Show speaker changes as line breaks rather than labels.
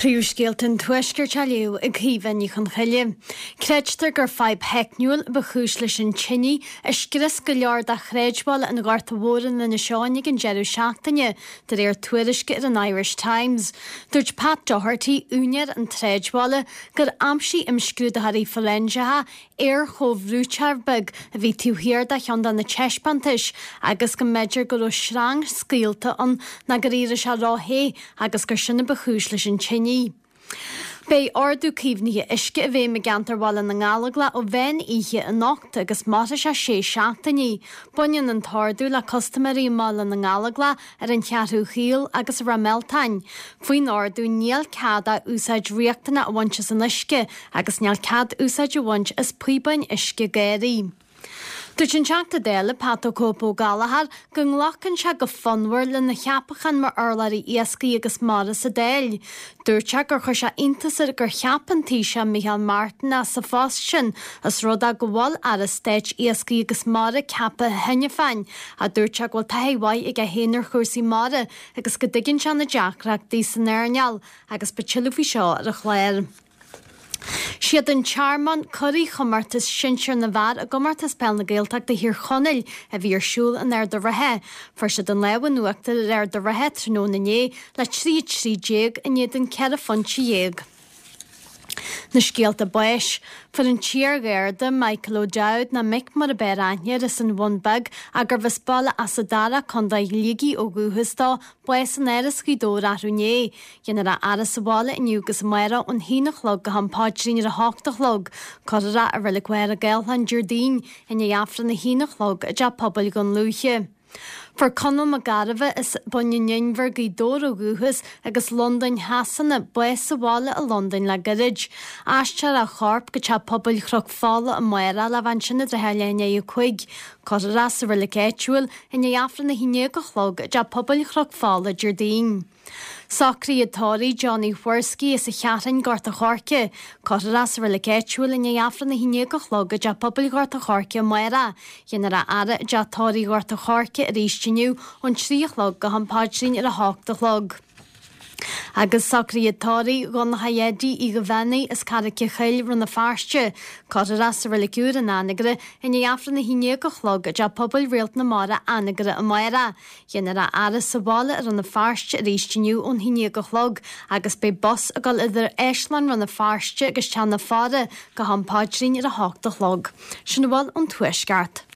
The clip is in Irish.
Príomhscéalta an Tuaiscirt á léamh ag Caoimhe Ní Chonchoille. Creidtear gur fadhb theicniúil ba chúis leis an tine a scrios go leor de shráidbhaile an Ghorta Mhóir in Inis Eoghain ag an deireadh seachtaine, de réir tuairisce ar an Irish Times. Dúirt Pat Doherty, úinéir an tsráidbhaile, gur aimsigh imscrúdaitheoirí foiréinseacha aer-chomhbhrúiteoir beag a bhí taobh thiar de cheann de na taispeántais agus go mb'fhéidir go raibh sreang scaoilte ann nó gur éirigh sé ró-the agus gur sin a ba chúis leis an tine. Beidh Ordú Caomhnaithe Uisce i bhfeidhm i gceantar Bhaile na nGallóglach ó mheán oíche anocht agus mairfidh sé sé seachtainí. Baineann an t-ordú le custaiméirí i mBaile na nGallóglach ar an Cheathrú Chaol agus i Ráth Mealtain. Faoin ordú níl cead ach úsáid riachtanach a bhaint as an uisce agus níl cead úsáid a bhaint as píobáin uisce ghéaraithe. Dúirt an Teachta Dála Pat 'The Cope' Ó Gallchóir go nglacann sé go fonnmhar lena cheapachán mar urlabhraí iascaigh agus mara sa Dáil. Dúirt sé gur chuir sé iontas air gur cheap an Taoiseach Micheál Martin é sa phost sin os rud é go bhfuil Aire Stáit Iascaigh agus Mara ceaptha cheana féin ach dúirt sé go bhfuil taithí mhaith aige féin ar chúrsaí mara agus go dtuigeann sé na deacrachtaí san earnáil agus beidh tuilleadh faoi seo ar an chlár. Siad an Tearmann curaidh chomórtas sinsir na bhfear i gComórtas Peil na Gaeltachta Thír Chonaill a bhí ar siúl in Ard a' Rátha. Fuair siad an lámh in uachtar ar Ard a' Rátha tráthnóna inné le 3 13 in éadan 14 phointe. Na scéalta báis. Fuair an t-iar-gharda Michael O'Dowd, nó Mick mar ab fhearr aithne air, as an Bhun Beag ach gurbh as Baile Easa Dara, Co. Shligigh ó dhúchas dó, bás in Áras Ghaoth Dobhair arú inné. Déanfar a fhaire sa bhaile inniu agus amárach ón haon a chlog go ham paidrín ar a hocht a chlog. Cuirfear é i Reilig Mhachaire Gathlán Déardaoin i ndiaidh Aifreann a haon a chlog i dTeach Pobail Dhún Lúiche. Fuair Conall Mac Gairbheith as Bun an Inbhir, Gaoth Dobhair ó dhúchas agus Londain Shasana, bás sa bhaile i Londain le gairid. Aistreofar a chorp go Teach Pobail Chnoc Fola amárach le bheith ansin i dtrátha leath i ndiaidh a 5. Cuirfear é sa reilig áitiúil i ndiaidh Aifreann a haon déag a chlog i dTeach Pobail Chnoc Fola Déardaoin. Socruithe tórraimh Johnny Whoriskey as an Cheathrúin, Gort a' Choirce. Cuirfear é sa reilig áitiúil i ndiaidh Aifreann a haon déag a chlog i dTeach Pobail Ghort a' Choirce amárach. Déanfar a fhaire i dTeach Tórraimh Ghort a' Choirce arís inniu ón 3 a chlog go ham paidrín ar a hocht a chlog. Agus socruithe tórraimh Dhonncha Eddie Uí Dhuibheannaigh as Carraic a' Choill, Rann na Feirste. Cuirfear é sa reilig úr in Anagaire i ndiaidh Aifreann a haon déag a chlog i dTeach Pobail Réalt na Mara, Anagaire amárach. Déanfar a fhaire sa bhaile i Rann na Feirste arís inniu ón haon déag a chlog agus beidh bus ag dul idir Áislann Rann na Feirste agus Teach na Faire go ham paidrín ar a hocht a chlog. Sin a bhfuil ón Tuaisceart.